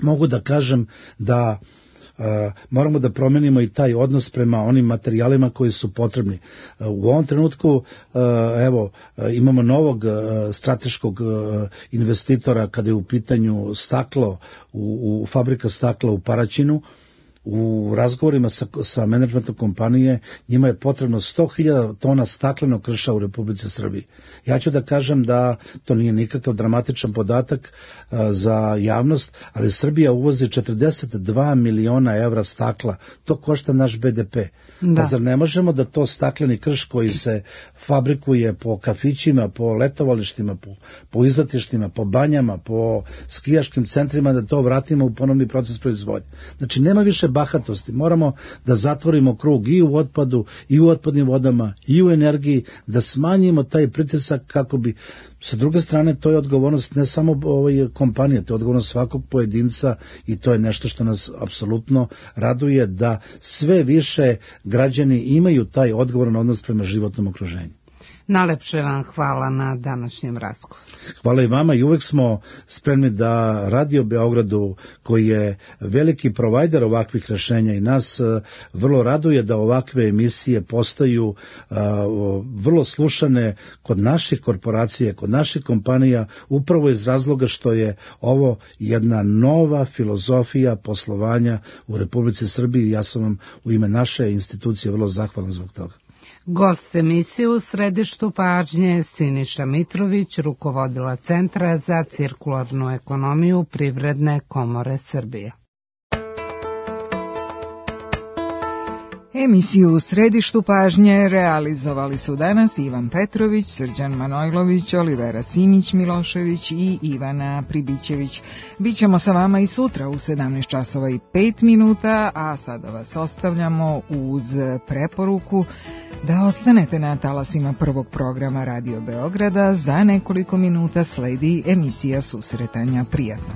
[SPEAKER 3] mogu da kažem da Uh, moramo da promenimo i taj odnos prema onim materijalima koji su potrebni. Uh, u ovom trenutku uh, evo uh, imamo novog uh, strateškog uh, investitora kada je u pitanju staklo, u, u fabrika stakla u Paraćinu. U razgovorima sa, sa menadžmentom kompanije njima je potrebno sto hiljada tona staklenog krša u Republici Srbiji. Ja ću da kažem da to nije nikakav dramatičan podatak a, za javnost, ali Srbija uvozi četrdeset dva miliona evra stakla. To košta naš be de pe. Da. Pa zar ne možemo da to stakleni krš koji se fabrikuje po kafićima, po letovalištima, po, po izletištima, po banjama, po skijaškim centrima, da to vratimo u ponovni proces proizvodnje. Znači nema više bahatosti. Moramo da zatvorimo krug i u otpadu, i u otpadnim vodama, i u energiji, da smanjimo taj pritisak kako bi, sa druge strane, to je odgovornost ne samo ovoj kompanije, to je odgovornost svakog pojedinca i to je nešto što nas apsolutno raduje, da sve više građani imaju taj odgovoran odnos prema životnom okruženju.
[SPEAKER 1] Najlepše vam hvala na današnjem razgovoru.
[SPEAKER 3] Hvala i vama i uvek smo spremni da Radio Beogradu, koji je veliki provajder ovakvih rešenja i nas vrlo raduje da ovakve emisije postaju vrlo slušane kod naših korporacija, kod naših kompanija, upravo iz razloga što je ovo jedna nova filozofija poslovanja u Republici Srbiji. Ja sam vam u ime naše institucije vrlo zahvalan zbog toga.
[SPEAKER 1] Gost emisije u središtu pažnje Siniša Mitrović, rukovodila Centra za cirkularnu ekonomiju Privredne komore Srbije.
[SPEAKER 4] Emisiju u središtu pažnje realizovali su danas Ivan Petrović, Srđan Manojlović, Olivera Simić-Milošević i Ivana Pribićević. Bićemo sa vama i sutra u sedamnaest časova i pet minuta, a sada vas ostavljamo uz preporuku da ostanete na talasima prvog programa Radio Beograda. Za nekoliko minuta sledi emisija Susretanja. Prijatno.